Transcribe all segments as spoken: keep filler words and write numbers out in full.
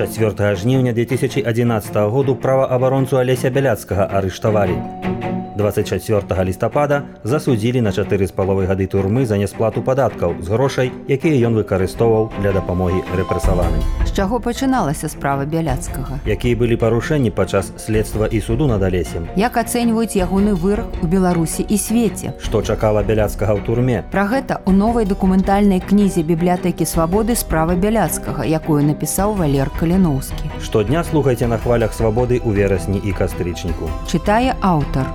чацвёртага жніўня две тысячи одиннадцатого году праваабаронцу Алеся Бяляцкага арыштавалі. двадцать чацвёртага лістапада засудзілі на чатыры з паловай гады турмы за нясплату падаткаў з грошай, якія ён выкарыстоўваў для дапамогі рэпрэсаваным. З чаго пачыналася справа Бяляцкага? Якія былі парушэнні падчас следства і суду над Алесем? Як ацэньваюць ягоны вырак у Беларусі і свеце? Што чакала Бяляцкага ў турме? Пра гэта ў новай дакументальнай кнізе бібліятэкі свабоды справа Бяляцкага, якую напісаў Валер Каліноўскі. Штодня слухайце на хвалях свабоды ў верасні і кастрычніку. Чытае аўтар.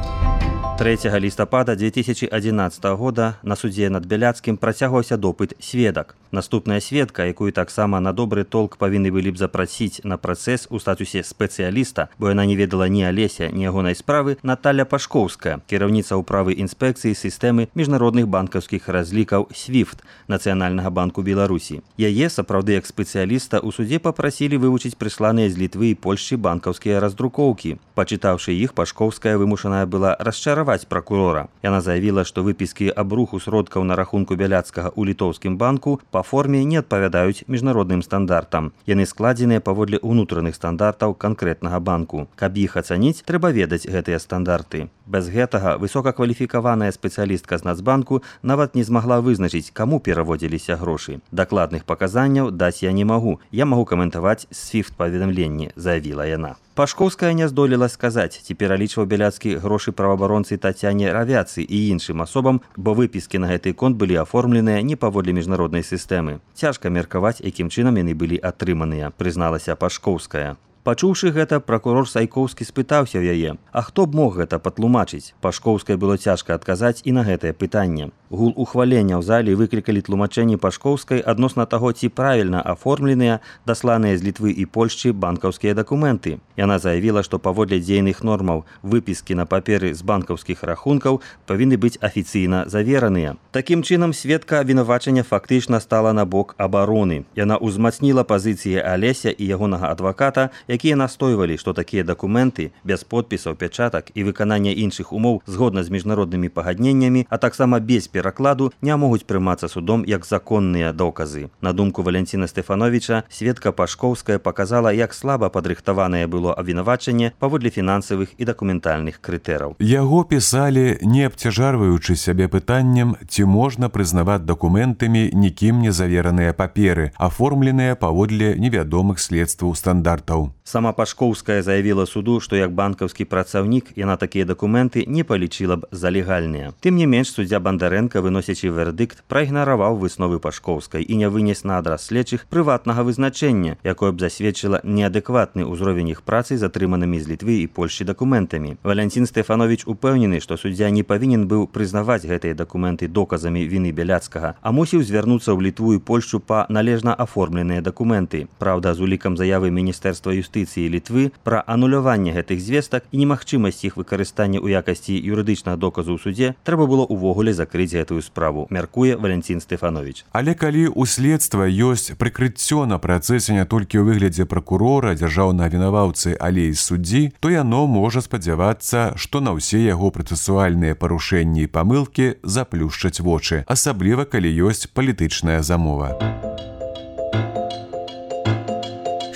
трэцяга лістапада две тысячи одиннадцатого года на судзе над Бяляцкім працягваўся допыт сведак. Наступная сведка, якую таксама на добры толк павінны былі б запрасіць на працэс у статусе спецыяліста, бо яна не ведала ні Алеся, ні ягонай справы, Наталя Пашкоўская, кіраўніца ўправы інспекцыі сістэмы міжнародных банкаўскіх разлікаў свіфт Нацыянальнага банку Беларусі. Яе, сапраўды як спецыяліста, у судзе папрасілі вывучыць прысланыя з Літвы і Польшчы банкаўскія раздрукоўкі. Пачытаўшы іх, Пашкоўская вымушаная была расчараваць прокурора. Яна заявіла, што выпіскі аб руху сродкаў на рахунку Бяляцкага ў літоўскім банку па форме не адпавядаюць міжнародным стандартам. Яны складзеныя паводле ўнутраных стандартаў канкрэтнага банку. Каб іх ацаніць, трэба ведаць гэтыя стандарты. Без гэтага высокакваліфікаваная спецыялістка з Нацбанку нават не змагла вызначыць, каму пераводзіліся грошы. Дакладных паказанняў даць я не магу. Я магу каментаваць свіфт-паведамленні, заявіла яна. Пашкоўская не здолела сказаць, ці пералічваў Бяляцкі грошы праваабаронцы Тацяне Равяцы і іншым асобам, бо выпіскі на гэты конт былі аформленыя не паводле міжнароднай сістэмы. Цяжка меркаваць, якім чынам яны былі атрыманыя, прызналася Пашкоўская. Пачуўшы гэта, пракурор Сайкоўскі спытаўся ў яе: «А хто б мог гэта патлумачыць?» Пашкоўскай было цяжка адказаць і на гэтае пытанне. Гул ухвалення ў зале выклікалі тлумачэнні Пашкоўскай адносна таго, ці правільна аформленыя дасланыя з Літвы і Польшчы банкаўскія дакументы. Яна заявіла, што паводле дзейных нормаў выпіскі на паперы з банкаўскіх рахункаў павінны быць афіцыйна завераныя. Такім чынам, сведка абвінавачання фактычна стала на бок абароны. Яна ўзмацніла пазіцыі Алеся і ягонага адваката, якія настойвалі, што такія дакументы без подпісаў, пячатак і выканання іншых умоў згодна з міжнароднымі пагадненнямі, а таксама без перакладу не могуць прымацца судом як законныя доказы. На думку Валянціна Стэфановіча, сведка Пашкоўская паказала, як слаба падрыхтаванае было абвінавачанне паводле фінансавых і дакументальных крытэраў. Яго пісалі, не абцяжарваючы сябе пытаннем, ці можна прызнаваць дакументамі нікім не завераныя паперы, аформленыя паводле невядомых следстваў стандартаў. Сама Пашкоўская заявіла суду, што як банкаўскі працаўнік яна такія дакументы не палічыла б за легальныя. Тым не менш, суддзя Бандарэнка, выносячы вердыкт, праігнараваў высновы Пашкоўскай і не вынес на адрас следчых прыватнага вызначэння, якое б засведчыла неадэкватны ўзровень іх працы з атрыманымі з Літвы і Польшчы дакументамі. Валянцін Стэфановіч упэўнены, што суддзя не павінен быў прызнаваць гэтыя дакументы доказамі віны Бяляцкага, а мусіў звярнуцца ў Літву і Польшчу па належна аформленыя дакументы. Праўда, з улікам заявы Міністэрства юстыцыі Літвы пра ануляванне гэтых звестак і немагчымасць іх выкарыстання ў якасці юрыдычнага доказу ў суде трэба было ўвогуле закрыць гэтую справу, мяркуе Валянцін Стэфановіч. Але калі ў следства ёсць прыкрыццё на працэсе не толькі ў выглядзе пракурора, дзяржаўнага вінаваўцы, але і суддзі, то яно можа спадзявацца, што на ўсе яго працэсуальныя парушэнні і памылкі заплюшчаць вочы, асабліва калі ёсць палітычная замова.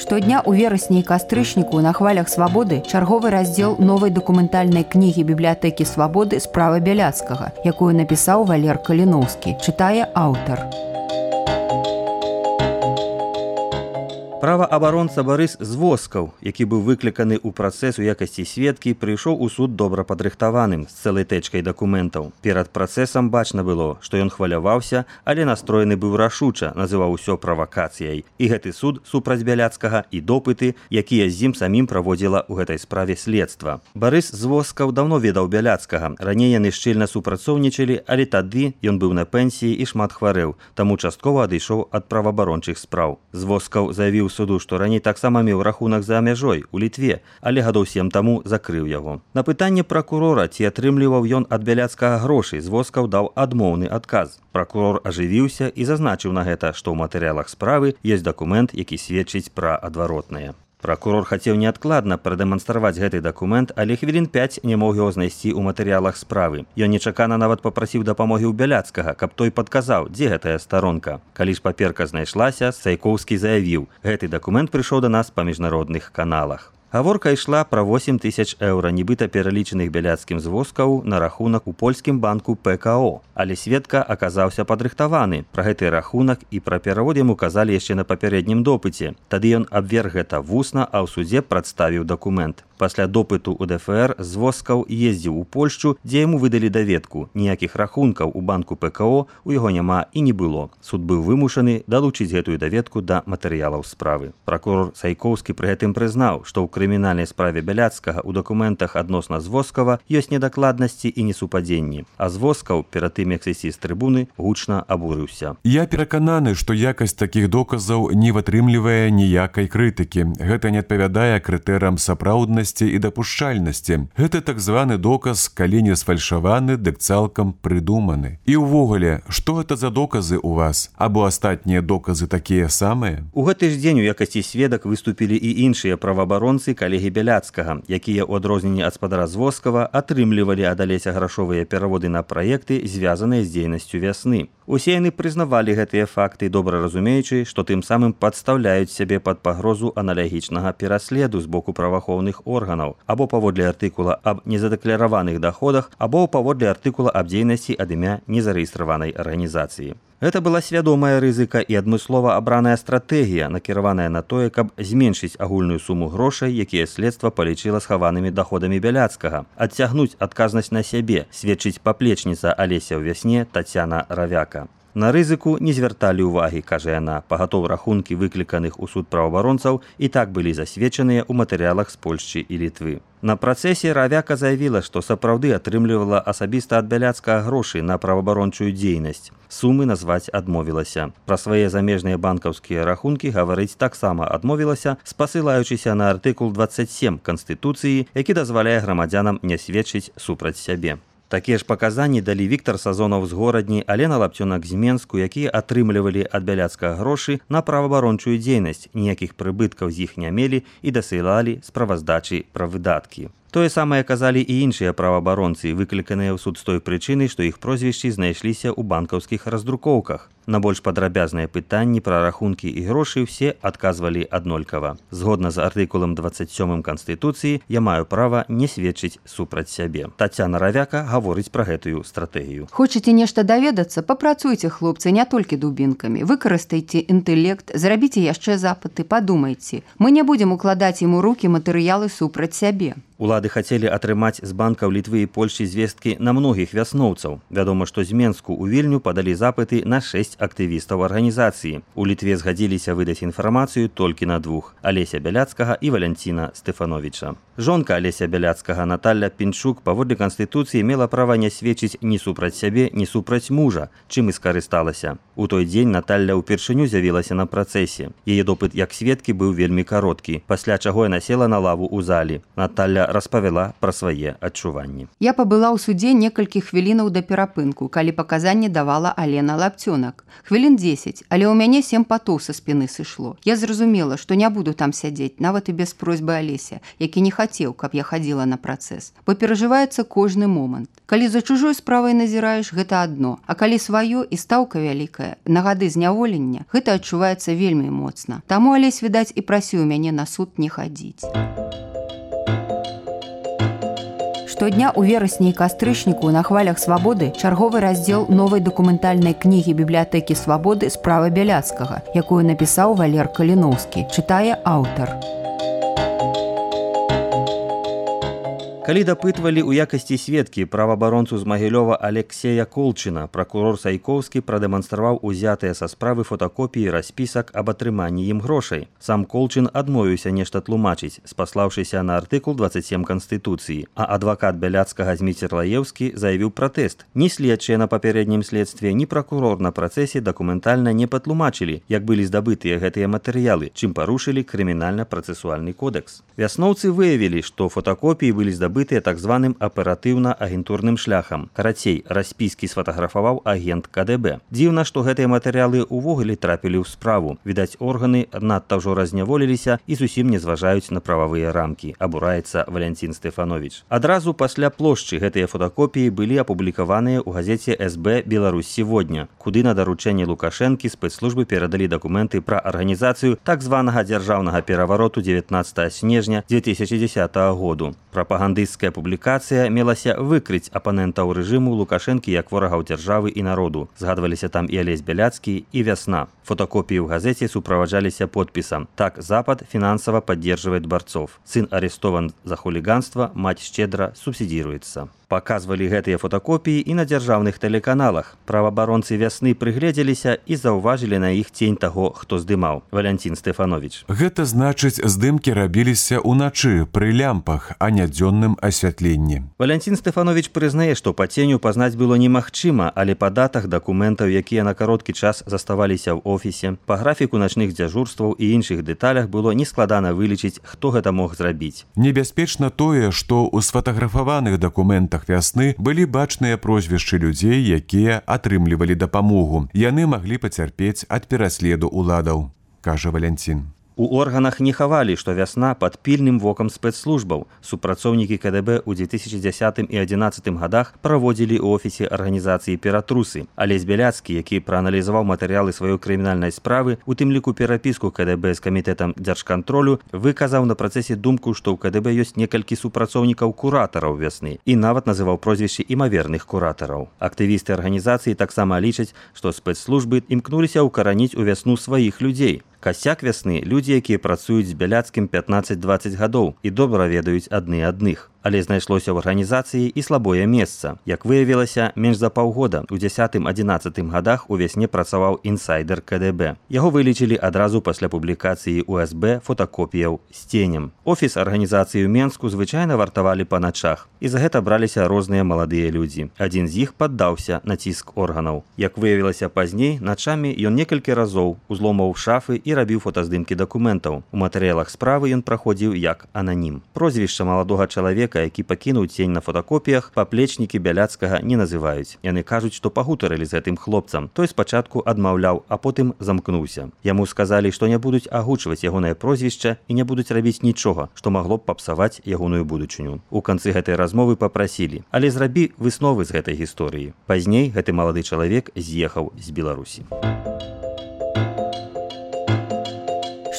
Штодня ў верасні і кастрычніку на хвалях свабоды чарговы раздзел новай дакументальнай кнігі бібліятэкі свабоды справа Бяляцкага, якую напісаў Валер Каліноўскі, чытае аўтар. Праваабаронца Барыс Звоскаў, які быў выкліканы ў працэс у якасці сведкі, прыйшоў у суд добра падрыхтаваным з цэлай тэчкай дакументаў. Перад працэсам бачна было, што ён хваляваўся, але настроены быў рашуча, называў усё правакацыяй. І гэты суд супраць Бяляцкага і допыты, якія з ім самім праводзіла ў гэтай справе следства. Барыс Звоскаў даўно ведаў Бяляцкага. Раней яны шчыльна супрацоўнічалі, але тады ён быў на пенсіі і шмат хварэў, таму часткова адышоў ад праваабарончых спраў. Звоскаў заявіў суду, што раней таксама меў рахунак за мяжой у Літве, але гадоў сем таму закрыў яго. На пытанне пракурора, ці атрымліваў ён ад Бяляцкага грошы, Звоскаў даў адмоўны адказ. Пракурор ажывіўся і зазначыў на гэта, што ў матэрыялах справы ёсць дакумент, які сведчыць пра адваротнае. Пракурор хацеў неадкладна прадэманстраваць гэты дакумент, але хвілін пяць не мог яго знайсці ў матэрыялах справы. Ён нечакана нават папрасіў дапамогі ў Бяляцкага, каб той падказаў, дзе гэтая старонка. Калі ж паперка знайшлася, Сайкоўскі заявіў: гэты дакумент прыйшоў да нас па міжнародных каналах. Гаворка ішла пра восем тысяч еўра, нібыта пералічаных Бяляцкім з воскаў на рахунак у польскім банку Пэ Ка О. Але сведка аказаўся падрыхтаваны. Пра гэты рахунак і пра перавод яму казалі яшчэ на папярэднім допыце. Тады ён абверг гэта вусна, а ў судзе прадставіў дакумент. Пасля допыту ў Дэ Эф Эр з воскаў ездзіў у Польшчу, дзе яму выдалі даведку. Ніякіх рахункаў у банку Пэ Ка О у яго няма і не было. Суд быў вымушаны далучыць гэтую даведку да матэрыялаў справы. Пракурор Сайкоўскі пры гэтым прызнаў, што ў крымінальнай справе Бяляцкага ў дакументах адносна Звозкава ёсць недакладнасці і несупадзенні. А Звозкаў перад тым, як сысці з трыбуны, гучна абурыўся. Я перакананы, што якасць такіх доказаў не вытрымлівае ніякай крытыкі. Гэта не адпавядае крытэрам сапраўднасці і дапушчальнасці. Гэта так званы доказ, калі не сфальшаваны, дык цалкам прыдуманы. І ўвогуле, што гэта за доказы ў вас? Або астатнія доказы такія самыя? У гэты ж дзень у якасці сведак выступілі і іншыя праваабаронцы калегі Бяляцкага, якія ў адрозненні ад спадара Звозкава атрымлівалі ад Алеся грашовыя пераводы на праекты, звязаныя з дзейнасцю вясны. Усе яны прызнавалі гэтыя факты, добра разумеючы, што тым самым падстаўляюць сябе пад пагрозу аналагічнага пераследу з боку праваахоўных органаў, або паводле артыкула аб незадэклараваных даходах, або паводле артыкула аб дзейнасці ад імя незарэгістраванай арганізацыі. Гэта была свядомая рызыка і адмыслова абраная стратэгія, накіраваная на тое, каб зменшыць агульную суму грошай, якія следства палічыла схаванымі даходамі Бяляцкага, адцягнуць адказнасць на сябе, сведчыць паплечніца Алеся ў вясне Тацяна Равяка. На рызыку не звярталі ўвагі, кажа яна, пагатоў рахункі выкліканых у суд праваабаронцаў і так былі засведчаныя ў матэрыялах з Польшчы і Літвы. На працэсе Равяка заявіла, што сапраўды атрымлівала асабіста ад Бяляцкага грошы на праваабарончую дзейнасць. Сумы назваць адмовілася. Пра свае замежныя банкаўскія рахункі гаварыць таксама адмовілася, спасылаючыся на артыкул дваццаць сем Канстытуцыі, які дазваляе грамадзянам не сведчыць супраць сябе. Такія ж паказанні далі Віктар Сазонаў з Горадні, Алена Лапцёнак з Менску, якія атрымлівалі ад Бяляцкага грошы на праваабарончую дзейнасць, ніякіх прыбыткаў з іх не мелі і дасылалі справаздачы пра выдаткі. Тое самае казалі і іншыя праваабаронцы, выкліканыя ў суд з той прычыны, што іх прозвішчы знайшліся ў банкаўскіх раздрукоўках. На больш падрабязныя пытанні пра рахункі і грошы ўсе адказвалі аднолькава. Згодна з артыкулам дваццаць сёмым Канстытуцыі, я маю права не сведчыць супраць сябе. Тацяна Равяка гаворыць пра гэтую стратэгію. Хочаце нешта даведацца? Папрацуйце, хлопцы, не толькі дубінкамі. Выкарыстайце інтэлект, зрабіце яшчэ запыты, падумайце. Мы не будзем укладаць ім у рукі матэрыялы супраць сябе. Улады хацелі атрымаць з банкаў Літвы і Польшчы звесткі на многіх вясноўцаў. Вядома, што з Менску ў Вільню падалі запыты на шэсць актывістаў арганізацыі. У Літве згадзіліся выдаць інфармацыю толькі на двух – Алеся Бяляцкага і Валянціна Стэфановіча. Жонка Алеся Бяляцкага Наталля Пінчук паводле Канстытуцыі мела права не сведчыць ні супраць сябе, ні супраць мужа, чым і скарысталася. У той дзень Наталля ўпершыню з'явілася на працэсе. Яе допыт як сведкі быў вельмі кароткі, пасля чаго яна села на лаву ў залі. Наталля распавяла пра свае адчуванні. Я пабыла ў судзе некалькі хвілінаў да перапынку, калі паказанні давала Алена Лапцёнак. Хвілін дзесяць, але ў мяне сем патоў са спіны сышло. Я зразумела, што не буду там сядзець, нават і без просьбы Алеся, які не хацеў, каб я хадзіла на працэс. Бо перажываецца кожны момант. Калі за чужой справай назіраеш, гэта адно, а калі сваё і стаўка вялікая, на гады зняволення, гэта адчуваецца вельмі моцна. Таму Алесь, відаць, і прасіў мяне на суд не хадзіць. Штодня ў верасні і кастрычніку на хвалях свабоды чарговы раздзел новай дакументальнай кнігі бібліятэкі свабоды «Справа Бяляцкага», якую напісаў Валер Каліноўскі, чытае аўтар. Калі дапытвалі ў якасці сведкі праваабаронцу з Магілёва Алексея Колчына, пракурор Сайкоўскі прадэманстраваў узятыя са справы фотакопіі распісак аб атрыманні ім грошай. Сам Колчын адмовіўся нешта тлумачыць, спаслаўшыся на артыкул дваццаць сем Канстытуцыі, а адвакат Бяляцкага Зміцер Лаеўскі заявіў пратэст. Ні следчыя на папярэднім следстве, ні пракурор на працэсе дакументальна не патлумачылі, як былі здабытыя гэтыя матэрыялы, чым парушылі крымінальна-працэсуальны кодэкс. Вясноўцы выявілі, што фотакопіі былі здабыты набытыя так званым аператыўна-агентурным шляхам. Карацей, распіскі сфотаграфаваў агент ка дэ бэ. Дзіўна, што гэтыя матэрыялы ўвогуле трапілі ў справу. Відаць, органы надта ўжо разняволіліся і зусім не зважаюць на прававыя рамкі, абураецца Валянцін Стэфановіч. Адразу пасля плошчы гэтыя фотакопіі былі апублікаваныя ў газеце эс бэ «Беларусь сегодня», куды на даручэнне Лукашэнкі спецслужбы перадалі дакументы пра арганізацыю так званага дзяржаўнага перавароту дзевятнаццатага снежня дзве тысячы дзесятага году. Прапагандысцкая публікацыя мелася выкрыць апанентаў рэжыму Лукашэнкі як ворагаў дзяржавы і народу. Згадваліся там і Алесь Бяляцкі, і Вясна. Фотокопіі ў газеце суправаджаліся подпісам: «Так Запад финансово поддерживает борцов. Сын арестован за хулиганство, мать щедро субсидируется». Паказвалі гэтыя фотакопіі і на дзяржаўных тэлеканалах. Праваабаронцы Вясны прыгледзеліся і заўважылі на іх цень таго, хто здымаў. Валянцін Стэфановіч. Гэта значыць, здымкі рабіліся ўначы пры лямпах, а не дзённым асвятленні. Валянцін Стэфановіч прызнае, што па ценю пазнаць было немагчыма, але па датах дакументаў, якія на кароткі час заставаліся ў офісе, па графіку начных дзяжурстваў і іншых дэталях было нескладана вылічыць, хто гэта мог зрабіць. Небяспечна тое, што ў сфатаграфаваных дакументах Вясны былі бачныя прозвішчы людзей, якія атрымлівалі дапамогу. Яны маглі пацярпець ад пераследу ўладаў, кажа Валянцін. У органах не хавалі, што Вясна пад пільным вокам спецслужбаў. Супрацоўнікі ка дэ бэ ў дзве тысячы дзесятым і адзінаццатым гадах праводзілі ў офісе арганізацыі ператрусы. Алесь Бяляцкі, які прааналізаваў матэрыялы сваёй крымінальнай справы, у тым ліку перапіску ка дэ бэ з камітэтам дзяржкантролю, выказаў на працэсе думку, што ў ка дэ бэ ёсць некалькі супрацоўнікаў куратараў Вясны і нават называў прозвішчы імаверных куратараў. Актывісты арганізацыі таксама лічаць, што спецслужбы імкнуліся ўкараніць у Вясну сваіх людзей. Касяк Вясны – людзі, якія працуюць з Бяляцкім пятнаццаць-дваццаць гадоў і добра ведаюць адны адных. Але знайшлося ў арганізацыі і слабое месца. Як выявілася, менш за паўгода у дзесятым-адзінаццатым гадах у Вясне працаваў інсайдер ка дэ бэ. Яго вылічылі адразу пасля публікацыі ў эс бэ фотакопіяў з ценем. Офіс арганізацыі ў Менску звычайна вартавалі па начах. І за гэта браліся розныя маладыя людзі. Адзін з іх паддаўся на ціск органаў. Як выявілася пазней, начамі ён некалькі разоў узломаў шафы і рабіў фотаздымкі дакументаў. У матэрыялах справы ён праходзіў як ананім. Прозвішча маладога чалавека, які пакінуў цень на фотакопіях, паплечнікі Бяляцкага не называюць. Яны кажуць, што пагутарылі з гэтым хлопцам. Той спачатку адмаўляў, а потым замкнуўся. Яму сказалі, што не будуць агучваць ягонае прозвішча і не будуць рабіць нічога, што магло б папсаваць ягоную будучыню. У канцы гэтай размовы папрасілі: «Але зрабі высновы з гэтай гісторыі». Пазней гэты малады чалавек з'ехаў з Беларусі.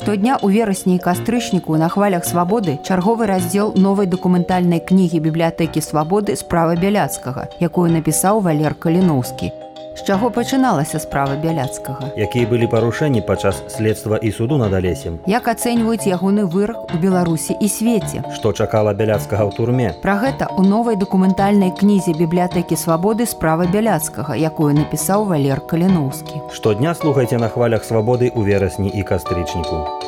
Штодня ў верасні і кастрычніку на хвалях свабоды чарговы раздзел новай дакументальнай кнігі бібліятэкі свабоды «Справа Бяляцкага», якую напісаў Валер Каліноўскі. З чаго пачыналася справа Бяляцкага? Якія былі парушэнні падчас следства і суду над Алесем? Як ацэньваюць ягоны вырак у Беларусі і свеце? Што чакала Бяляцкага ў турме? Пра гэта ў новай дакументальнай кнізе бібліятэкі свабоды «Справа Бяляцкага», якую напісаў Валер Каліноўскі. Штодня слухайце на хвалях свабоды ў верасні і кастрычніку.